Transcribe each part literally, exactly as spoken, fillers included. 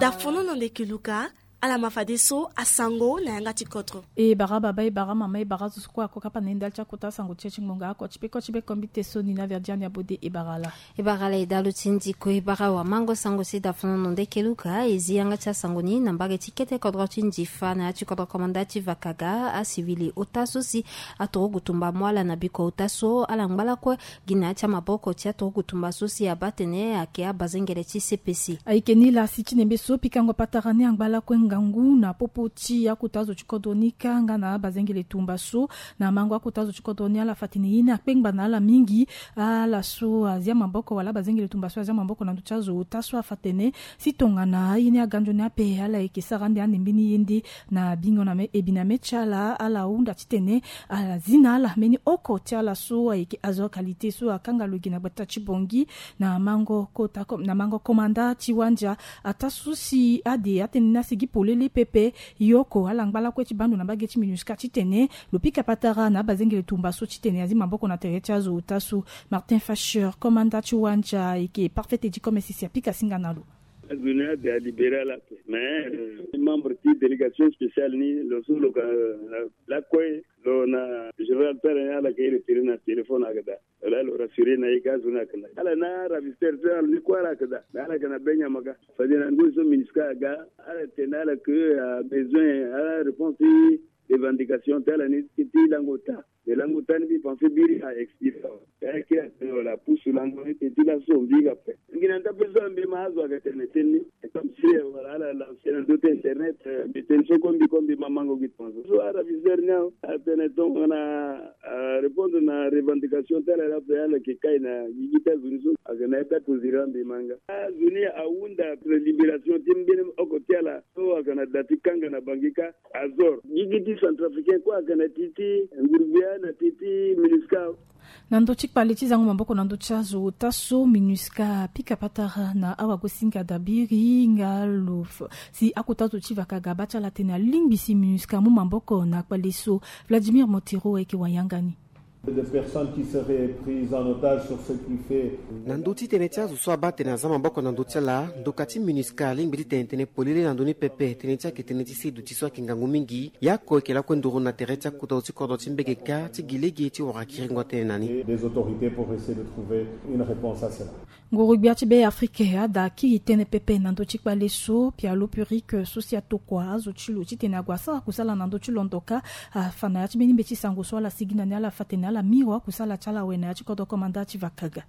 Dafono na ndeke luka. Ala ma fadeso asango na yanga ti kodro. E bara baba, e bara mama, e bara zo so kue ako kapa na ye ndali ti akota sango ti e ti ngbonga oko ti pe ko ti be kombi te so ni na verdiani abode e bara ala. E bara ala e dalo ti ndiko e bara wamango sango si dafono na ndeke luka e zi yanga ti asango ni na mbage ti kete kodro ti ndifa na ya ti kodro komanda ti vakaga asivili ota so si aturugu tumba mu ala na biko ota so ala ngba lakue gi na ya ti amaboko ti aturugu tumba so si abaa tene ayeke abazengele ti cpc. Ayeke ni laa si ti nembe so pikango patara ni angba lakue ngangu na popo ti akota zo ti kodro ni kâ nga na abazengele tumba so na mango akota zo ti kodro ni ala fa tene ye ni akpengba na ala mingi. Ala so azia maboko wala abazengele tumba so azia maboko na ndö ti azo ota so afa tene si tongana aye ni aga nzoni ape ala yeke sara ande ande mbeni ye nde na bingo na me ebi na me ti ala ala hunda titene ala zi na ala mbeni oko ti ala so ayeke azo qualité so akanga lo gi na gbata ti bongi na mango kota na mango komanda ti wandia. Ata so si ade atene ni asigi polele pepe. Yoko ala ngba lakue ti bando na mbage ti minusca titene lo pika patara na abazengele tumba so titene azi maboko na tere ti azo ota so. Martin Facher, komanda ti wandia ayeke parfait edi comme sisi apika singa na lo. Azo ni ade alibéré ala ape mais membre ti délégation spéciale ni lo so lo ka lakue lo na général tara ni ala ka e retiré na téléphone ayeke daa. Wala lo rassuré na ye ka azo ni ayeke daa ala na ravisteur so ala ni kue ala yeke daa mais ala yeke na be nyama ka. Fade na ndö so minusca aga ala tene ala ke abesoin ala réponse ti revendication ti ala ni ti lango ota. Mais lango ota ni mbi pensé biri a expiré awe. Ayeke atene wala apusu lango ni teti laso mbi ga pe ngi na nda pe so ambi ma azo aga tene teni. Comme si wala ala lanse na ndö ti internet. Mbi tene so kombi kombi ma mango gi tonso so araviseur ni awe atene tongana arépondre na revendication ti ala ni ape ala yeke kai na gigi ti azo ni so. Ayeke na ye ti akoziri ambi ma nga azo ni ahunda libération ti mbeni oko ti ala so ayeke na da ti kanga na bangi kâ. Azor gigi ti centrafricain kue ayeke na ti ti ngurugbia na ti ti minusca. Na ndö ti kpale ti zango maboko na ndö ti azo ota so minusca apika patara na awagosinga dabiri nga lo si akota zo ti vakaga abaa ti ala tene alingbi si minusca amu maboko na kpale so. Vladimir Montero ayeke wayanga ni. Des personnes qui seraient prises en otage sur ce qui fait. Na ndö ti tene ti azo so abaa tene aza maboko na ndö ti ala ndoka ti minusca alingbi ti tene tene polele na ndö ni pepe tene ti ayeke tene ti se duti so ayeke ngangu mingi. Yako eke lakue nduru na tere ti akota zo ti kodro ti mbege kâ ti gi lege ti wara kiringo atene na ni. Des autorités pour essayer de trouver une réponse à cela. Nguru-gbia ti Be Afrike ada akiri tënë pepe na ndö ti kpale so pialo purike so si atokua azo ti lo titene ague asara kusala na ndö ti londo kâ. Afa na ya ti mbeni mbeti sango so ala sigi na ni ala fa tene ala miro akusala ti ala awe na ya ti kodro komanda ti vakaga.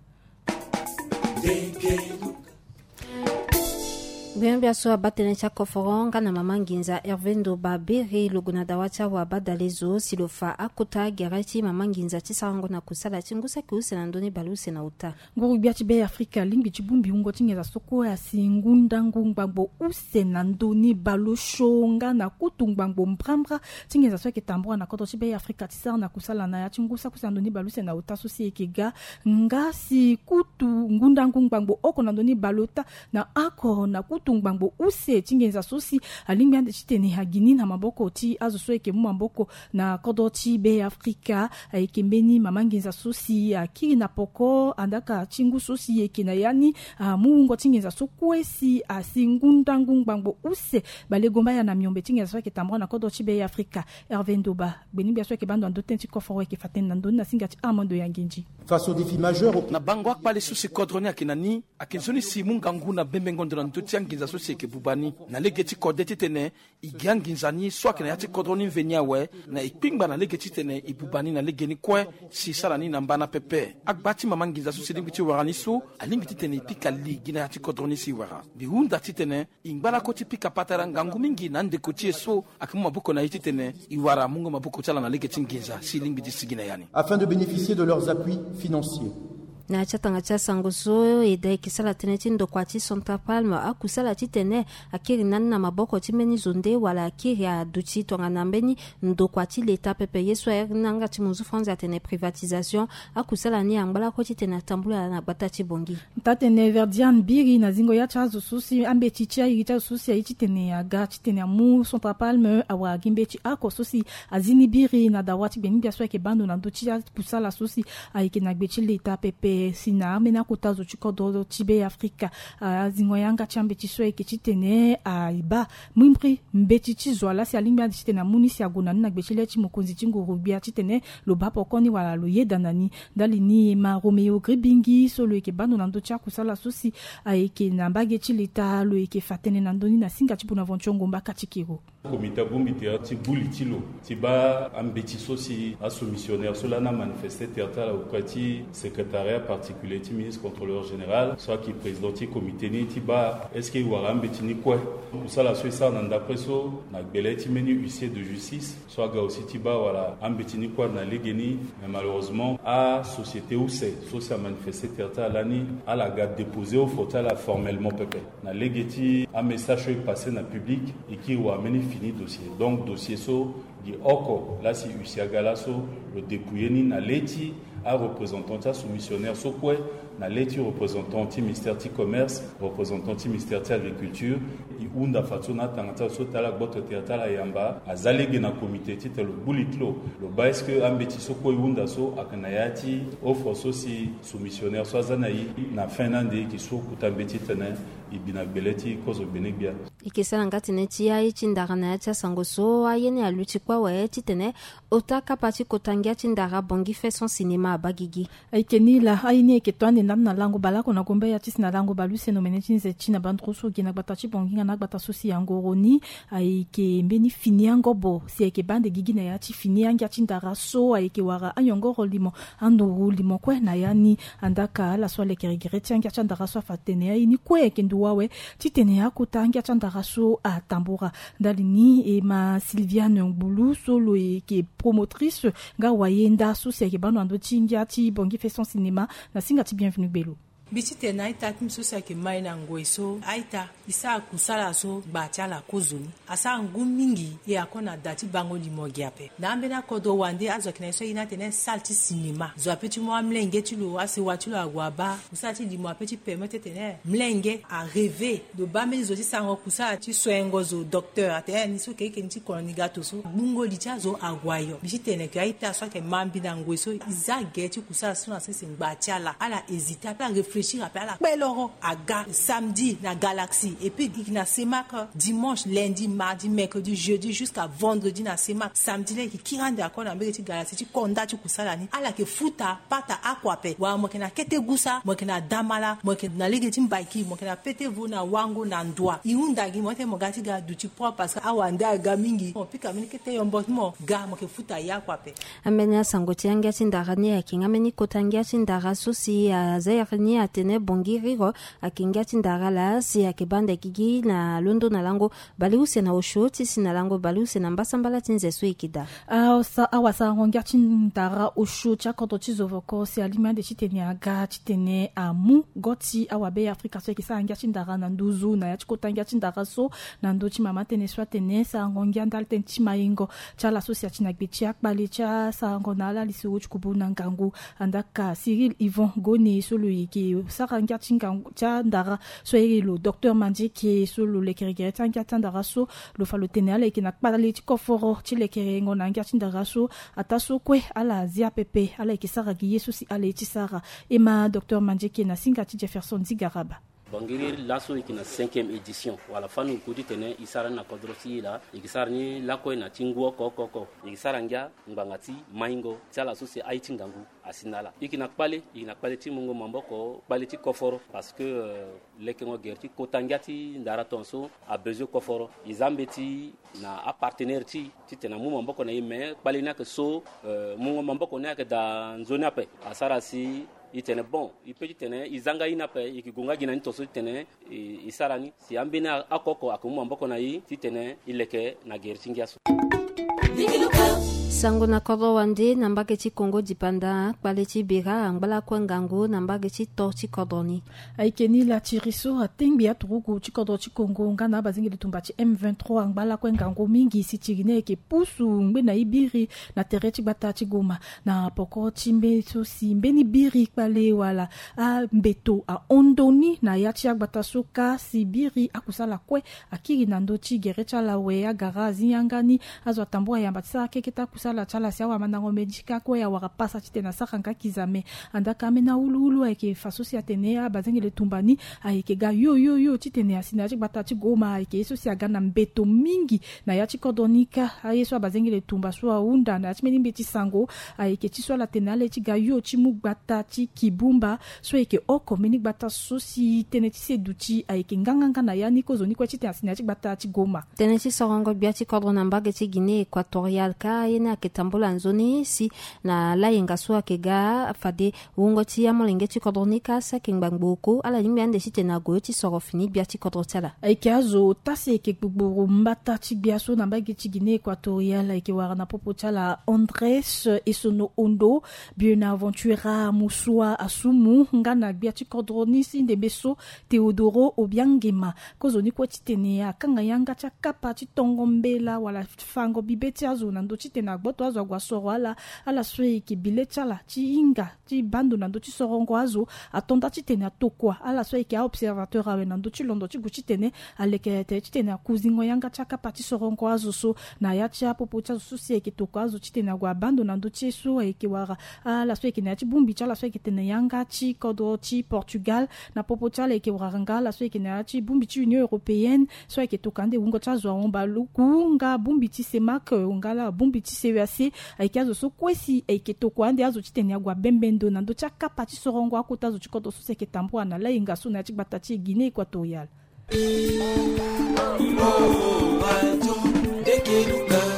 Gbia-gbia so abaa tënë ti akoforo nga na mama nginza Hervé Ndoba Bere lo gue na dawa ti awa abadale zo si lo fa akota gere ti mama nginza ti sarango na kusala ti ngu saki use na ndö ni baleuse na ota. Nguru-gbia ti Be Afrika alingbi ti bongbi wungo ti nginza so kue asi ngu ndangu ngbangbo use na ndö ni baleosio nga na kutu ngbangbo mbrambra ti nginza so ayeke tambura na kodro ti Be Afrika ti sara na kusala na ya ti ngu saki use na ndö ni baleuse na ota so si e yeke ga. Nga si kutu ngu ndangu ngbangbo oko na ndö ni baleota na oko na kutu ngbangbo use ti nginza so si alingbi ande titene agi ni na maboko ti azo so ayeke mu maboko na kodro ti Be Afrika. Ayeke mbeni mama nginza so si akiri na poko andaka ti ngu so si e yeke na ya ni amu wungo ti nginza so kue si asi ngu ndangu ngbangbo use balegombaya na miombe ti nginza so ayeke tambura na kodro ti Be Afrika. Hervé Ndoba gbeni-gbia so ayeke baa ndo na ndö tënë ti koforo ayeke fa tënë na ndö ni na singa ti Armando Yanginji. Face au défi majeur au- Na bango akpale so si kodro ni ayeke na ni ayeke nzoni si e mu ngangu na bembengo ndo na ndö ti anginza so si e yeke buba ni na lege ti kode titene e gi anginza ni so ayeke na ya ti kodro ni mveni awe na e kpingba na lege titene e buba ni na lege ni kue si e sara ni na mbana pepe. Agba ti mama nginza so si e lingbi ti wara ni so alingbi titene e pika li gi na ya ti kodro ni si e wara. Mbi hunda titene e ngba lako ti pika patara ngangu mingi na andeko ti e so ayeke mu maboko na e titene e wara amungo maboko ti ala na lege ti nginza si e lingbi ti sigi na ya ni. Afin de bénéficier de leurs appuis financiers. Na ya ti atanga ti asango so e da e yeke sara tënë ti ndokua ti Central Palme akusala titene akiri na ni na maboko ti mbeni zo nde wala akiri aduti tongana mbeni ndokua ti leta pepe ye so airi ni na yanga ti munzu franzi atene privatisation. Akusala ni angba lako titene atambula na gbata ti Bongi. Taa-tene Verdiane Biri na zingo ya ti azo so si ambeti ti airi ti azo so si aye titene aga titene amu Central Palme awara gi mbeti oko so si azi ni biri na dawa ti gbeni-gbia so ayeke baa ndo na ndö ti akusala so si ayeke na gbe ti leta pepe. E si na ambeni akota zo ti kodro ti Be Afrika, azingo yanga ti ambeti so ayeke titene abaa mbrimbri mbeti ti zo ala si alingbi ande titene amu ni si ague na ni na gbe ti le ti mokonzi ti nguru-gbia titene lo baa poko ni wala lo yeda na ni. Ndali ni e ma Roméo Gribingi so lo yeke baa ndo na ndö ti akusala so si ayeke na mbage ti leta, lo yeke fa tënë na ndö ni na singa ti Bonaventure Ngomba Katikiro. Komite abongbi tere ti gbu li ti lo ti baa ambeti so si asoumissionnaire so lani amanifeste tere ti ala auprès ti secrétariat particulier ti ministre contrôleur général so ayeke président ti komite ni ti baa est-ce que e wara ambeti ni kue. Kusala so e sara na ndapre so na gbele ti mbeni huissier de justice so aga aussi ti baa wala ambeti ni kue na lege ni. Mais malheureusement asociété use so si amanifeste tere ti ala lani, ala ga déposer offre ti ala formellement pepe. Na lege ti amessage so e passe na public, e kiri wara mbeni fini dossier. Donc dossier so gi oko laa si huissier aga laso lo dépouiller ni na le ti areprésentant ti asoumissionnaire so kue, na le ti représentant ti ministère ti commerce, représentant ti ministère ti agriculture. E hunda fadeso na atanga ti ala so ti ala gboto tere ti ala yamba aza lege na komite titene lo gbu li ti lo, lo baa est-ce que ambeti so kue e hunda so ayeke na ya ti offre so si soumissionnaire so aza na e. Na fin ni ande e yeke sue kota mbeti titene e bi na gbele ti kozo gbene-gbia. E yeke sara nga tënë ti aye ti ndara na ya ti asango so aye ni aluti kue awe titene ota kapa ti kota ngia ti ndara Bongi Faison Cinéma abaa gigi. Ayeke ni laa aye ni ayeke to ande ndambe na lango baleoko na gombe ya ti si na lango baleuse na omene ti nze ti na banduru so gi na gbata ti Bongi nga na agbata so si angoro ni. Ayeke mbeni fini angobo si ayeke baa ande gigi na ya ti fini angia ti ndara so ayeke wara anyongoro limo, anduru limo kue na ya ni. Andaka ala so alekere gere ti angia ti andara so afa tene aye ni kue ayeke nduwa awe titene akota angia ti andara so atambura. Ndali ni e ma Sylviane Ngbulu so lo yeke promotrice nga wayenda so si ayeke baa ndo na ndö ti ngia ti Bongi Faison Cinéma na singa ti Bienvenu Gbelo. Mbi titene a-ita ti mbi so si ayeke mai na ngoi so a-ita e sara kusala so ngba ti ala kozoni. Asara ngu mingi e ako na da ti bango limo gi ape. Na ambeni akodro wande azo ayeke na e so aye ni atene salle ti cinéma. Zo ape ti mu amlenge ti lo, asewa ti lo ague abaa. Kusala ti limo ape ti permettre titene mlenge arêver. Lo baa mbeni zo ti sarango kusala ti soengo zo docteur atene ni so keke ni ti kono ni ga to so. Gbungo li ti azo ague ayo. Mbi titene ke a-ita so ayeke ma mbi na ngoi so e za gere ti kusala so na sese ngba ti ala. Ala hésiter ape, aréfléchir ape, ala kpe loro aga samedi na Galaxie. Et puis e yeke na CEMAC dimanche, lundi, mardi, mercredi, jeudi jusqu'à vendredi na CEMAC. Samedi laa e yeke kiri ande ako na mbege ti Galaxie ti konda ti kusala ni. Ala yeke futa pata oko ape. Wala mo yeke na kete gusa, mo yeke na damala, mo yeke na lege ti mbaiki, mo yeke na pete vo na wango na ndua. E hunda gi mo titene mo ga ti ga duti propre parce que awande aga mingi. Mo pika mbeni kete yombo ti mo ga, mo yeke futa ya oko ape. Ambeni asango ti angia ti ndara ni ayeke nga mbeni kota ngia ti ndara so si aza iri ni atene Bongi Riro ayeke ngia ti ndara laa si ayeke baa ande gigi na londo na lango baleuse na osio ti si na lango baleuse na mbasambala ti nze so e yeke daa. Awasa, awasarango ngia ti ndara osio ti akodro ti Zovoko si alingbi ande titene aga titene amu go ti awabe ya Afrika so ayeke sara ngia ti ndara na nduzu na ya ti kota ngia ti ndara so na ndö ti mama tënë so atene sarango ngia ndali tënë ti maingo ti ala so si ati na gbe ti akpale ti asarango na ala lisoro ti kubu na ngangu. Andaka Cyril Yvon Goni so lo yeke sara ngia ti ngangu ti andara so airi lo docteur Mandieke so lo lekere gere ti angia ti andara so lo fa lo tene ala yeke na kpale ti koforo ti lekerengo na angia ti ndara so. Ataa so kue ala zia pepe, ala yeke sara gi ye so si ala ye ti sara. E ma docteur Mandieke na singa ti Jefferson Zigaraba. Bangiri laso e yeke na cinquième édition wala fani ngu titene e sara ni na kodro ti e laa. E yeke sara ni lakue na ti ngu oko oko oko. E yeke sara ngia ngbanga ti maingo ti ala so si aye ti ngangu asi na ala. E yeke na kpale, e yeke na kpale ti mungo maboko, kpale ti koforo parce que, euh, lekengo gere ti kota ngia ti ndara tongaso abezoin koforo. E za mbeti na apartenaire ti e titene amu maboko na e, mais kpale ni ayeke so, euh, mungo maboko ni ayeke daa nzoni ape. Asara si e tene bon, e peut titene e za nga ye ni ape, e yeke gue nga gi na ni tongaso titene e, e sara ni. Si ambeni oko oko ayeke mu maboko na e titene e leke na gere ti ngia so. Sango na kodro wande na mbage ti Kongo dipanda, kpale ti bira angba lakue ngangu na mbage ti to ti kodro ni. Ayeke ni laa tiri so atengbi aturugu ti kodro ti Kongo nga na abazengeli tumba ti M vingt-trois angba lakue ngangu mingi si tiri ni ayeke pusu ngbene ye biri na tere ti gbata ti Goma. Na poko ti mbeni so si mbeni biri kpale wala ambeto ahon ndoni na ya ti agbata so kâ si biri akusala kue akiri na ndö ti gere ti ala awe agara azi yanga ni azo atambula yamba ti sara keke ti akusala. ala ti ala si awamandango medi ka kue awara pasa titene asara nga kizame. Andaka ambeni awuluwulu ayeke fa so si atene abazengele tumba ni ayeke ga yo yo yo titene asi na ya ti gbata ti Goma ayeke ye so si aga na mbeto mingi na ya ti kodro ni ka. Aye so abazengele tumba so ahunda na ya ti mbeni mbi ti sango ayeke ti so ala tene ala ye ti ga yo ti mu gbata ti Kibumba so ayeke oko mbeni gbata so si tënë ti seduti ayeke nganganga na ya ni kozoni kue titene asi na ya ti gbata ti Goma. Tënë ti sorongo gbia ti kodro na mbage ti Guinée Équatoriale ka ye ni ayeke tambula nzoni si na layenga so ayeke ga fade wungo ti amolenge ti kodro ni ka si ayeke ngbangbo oko ala lingbi ande titene ague ti soro fini gbia ti kodro ti ala. Ayeke azo ota si ayeke gbugburu mbata ti gbia so na mbage ti Guinée Équatoriale ayeke wara na popo ti ala Andrés Esono Ondo, Bonaventura Musua Asumu nga na gbia ti kodro ni si ndembe so Teodoro Obiangema. Kozoni kue titene akanga yanga ti akapa ti tongo mbela wala fango bibe ti azo na ndö titene agboto azo ague asoro ala. Ala so ayeke bile ti ala ti hinga ti baa ndo na ndö ti sorongo azo. Ato nda titene atokua ala so ayeke aobservateur awe na ndö ti londo ti gu titene aleke tere titene akuzingo yanga ti akapa ti sorongo azo so na ya ti apopo ti azo so si ayeke tokua azo titene ague abaa ndo na ndö ti ye so ayeke wara ala so ayeke na ya ti bongbi ti ala so ayeke tene yanga ti kodro ti Portugal. Na popo ti ala ayeke wara nga ala so ayeke na ya ti bongbi ti Union Européenne so ayeke tokua ande wungo ti azo ahon baluku nga bongbi ti CEMAC nga la bongbi ti CEAC. Ayeke azo so kue si ayeke tokua ande azo titene ague abembe ndo na ndö ti akapa ti sorongo akota azo ti kodro so si ayeke tambula na layenga so na ya ti gbata ti Guinée Équatoriale.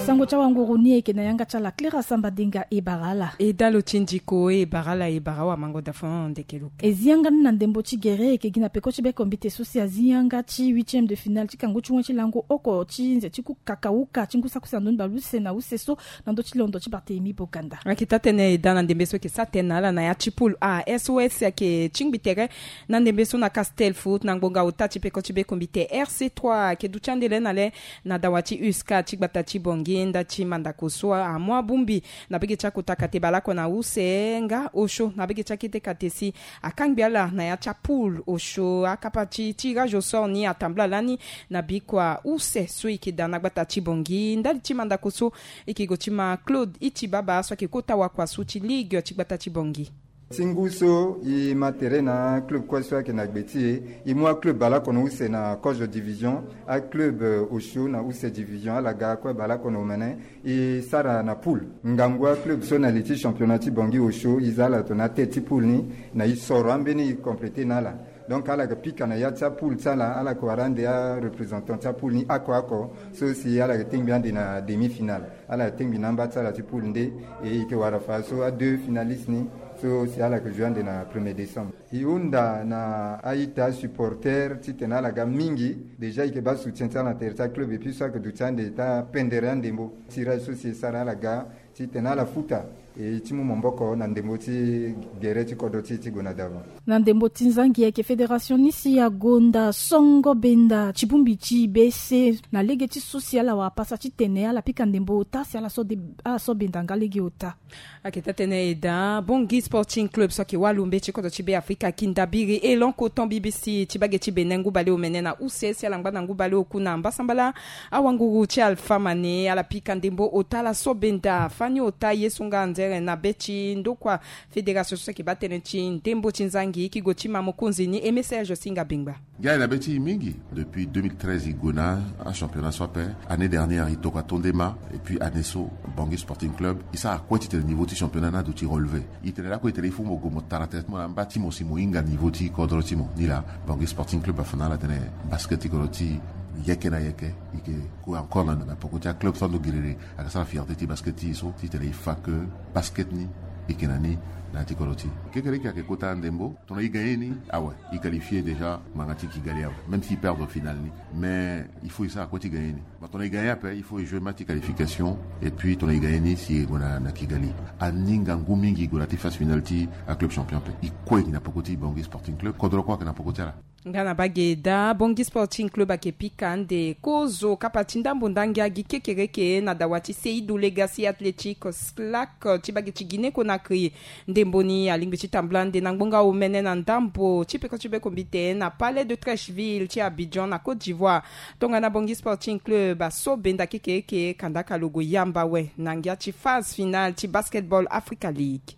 Sango ti awanguru ni ayeke na yanga ti ala Clara Samba Denga. E bara ala. E dalo ti ndiko e bara ala e bara awamango da fon ndeke luka. E zi yanga ni na ndembo ti gere ayeke gi na peko ti bekombite so si azi yanga ti huitième de finale ti kangu ti wen ti lango oko ti nze ti ku kakauka ti ngu saki use na ndoni bale use na use so na ndö ti londo ti Barthélemy Boganda. Ayeke taa tënë e daa na ndembe so ayeke sara tënë na ala na ya ti poule A. S O S ayeke tingbi tere na ndembe so na Castel Foot na ngbonga ota ti peko ti bekombite. R C trois ayeke duti ande le na le na dawa ti U S K ti gbata ti Bangui nda ti mandako so amu abongbi na bege ti akota kate baleoko na use nga osio na bege ti akete kate si akangbi ala na ya ti apoule osio. Akapa ti tirage au sort ni atambula lani na bikua use so e yeke daa na gbata ti Bangui ndali ti mandako so e yeke gue ti ma Claude Itibaba so ayeke kota wakua so ti ligue ti gbata ti Bangui. Ti ngu so e ma tere na aclub kue so ayeke na gbe ti e, e mu aclub baleoko na use na kozo division. Aclub osio na use division ala ga kue baleoko na omene. E sara na poule ngangu aclub so na li ti championnat ti Bangui osio e za ala tongana atête ti poule ni. Na e soro ambeni e compléter na ala. Donc ala yeke pika na ya ti apoule ti ala ala yeke wara ande areprésentant ti apoule ni oko oko so si ala yeke tengbi ande na demi-finale. Ala tengbi na amba ti ala ti poule nde. E yeke wara fa so adeux finalistes ni so si ala yeke jouer ande na premier décembre. E hunda na a-ita supporter titene ala ga mingi. Déjà e yeke baa soutien ti ala na tere ti aclub epui so ayeke duti ande ti apendere andembo tirage so si e sara ala ga titene ala futa e ti mu maboko na ndembo ti gere ti kodro ti e ti gue na davant. Na ndembo ti nzangi ayeke fédération ni si agonda songo benda ti bongbi ti bese na lege ti so si ala wara pasa titene ala pika ndembo ota si ala so de ala so benda nga lege ota. Ayeke taa tënë e daa Bangui Sporting Club so ayeke wâ lo mbeti ti kodro ti Beafrika aki ndabiri e lonko ton B B C ti bage ti Bénin ngu baleomene na use si ala ngba na ngu baleoku na mbasambala. Awanguru ti Alpha Mané ala pika ndembo ota ala so benda fani ota ye so nga anzere na be ti ndokua fédération so ayeke baa tënë ti ndembo ti nzangi e yeke gue ti ma mokonzi ni Aimé Serge Singa Bengba. Ngia e na be ti e mingi. Depuis deux mille treize e gue na achampionnat so ape. Année dernière e tokua to nde ma. Epui année so Bangui Sporting Club e sara kue titene niveau ti championnat ni aduti relevé. E tene lakue e tene il faut mo gue mo tara tene ti mo na amba ti mo si mo hinga niveau ti kodro ti mo. Ni laa Bangui Sporting Club afa na ala tene basket ti kodro ti e yeke na yeke e yeke gue encore na poko ti aclub so ando giriri. Ayeke sara fierté ti basket ti e so titene e fa ke basket ni e yeke na ni na ya ti kodro ti e. Kekereke ayeke kota ndembo. Tongana e gagner ni awe e qualifier déjà ngbanga ti Kigali awe. Même si e perdre finale ni mais il faut e sara kue ti gagner ni. Bon, tongana e gagner ape il faut e jouer match ti qualification. Epui tongana e gagner ni si e gue na Kigali. Aninga ngu mingi e gue na ya ti phase finale ti aclub champion ape. E kue e yeke na poko ti Bangui Sporting Club kodro kue ayeke na poko ti ala. Nga na bage daa Bangui Sporting Club ayeke pika ande kozo kapa ti ndambo ndangi agi kekereke na dawa ti Seydou Legacy Athletic Slack ti bage ti Guinée Conakry. akri. Ndembo ni alingbi ti tambula nde na ngbonga omene na ndambo ti peko ti beko mbite na Palais de Treichville ti Abidjan na Côte d'Ivoire. Tongana Bangui Sporting Club aso benda kekeeke kandaka lo gue yamba awe na ngia ti phase finale ti Basketball Africa League.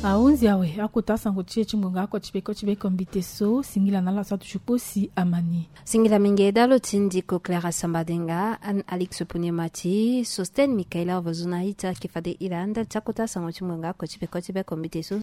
Ahunzi awe akota asango ti e ti ngbonga oko ti peko ti beko mbite so. Singila na ala so atutu kpo si amani. Singila mingi dalo ti ndiko Clara Sambadenga, Anne Alix Puniemati, Sosten Michaela Vozuna Ita ke fade ira ndali ti akota asango ti ngbonga oko ti peko ti beko mbite so.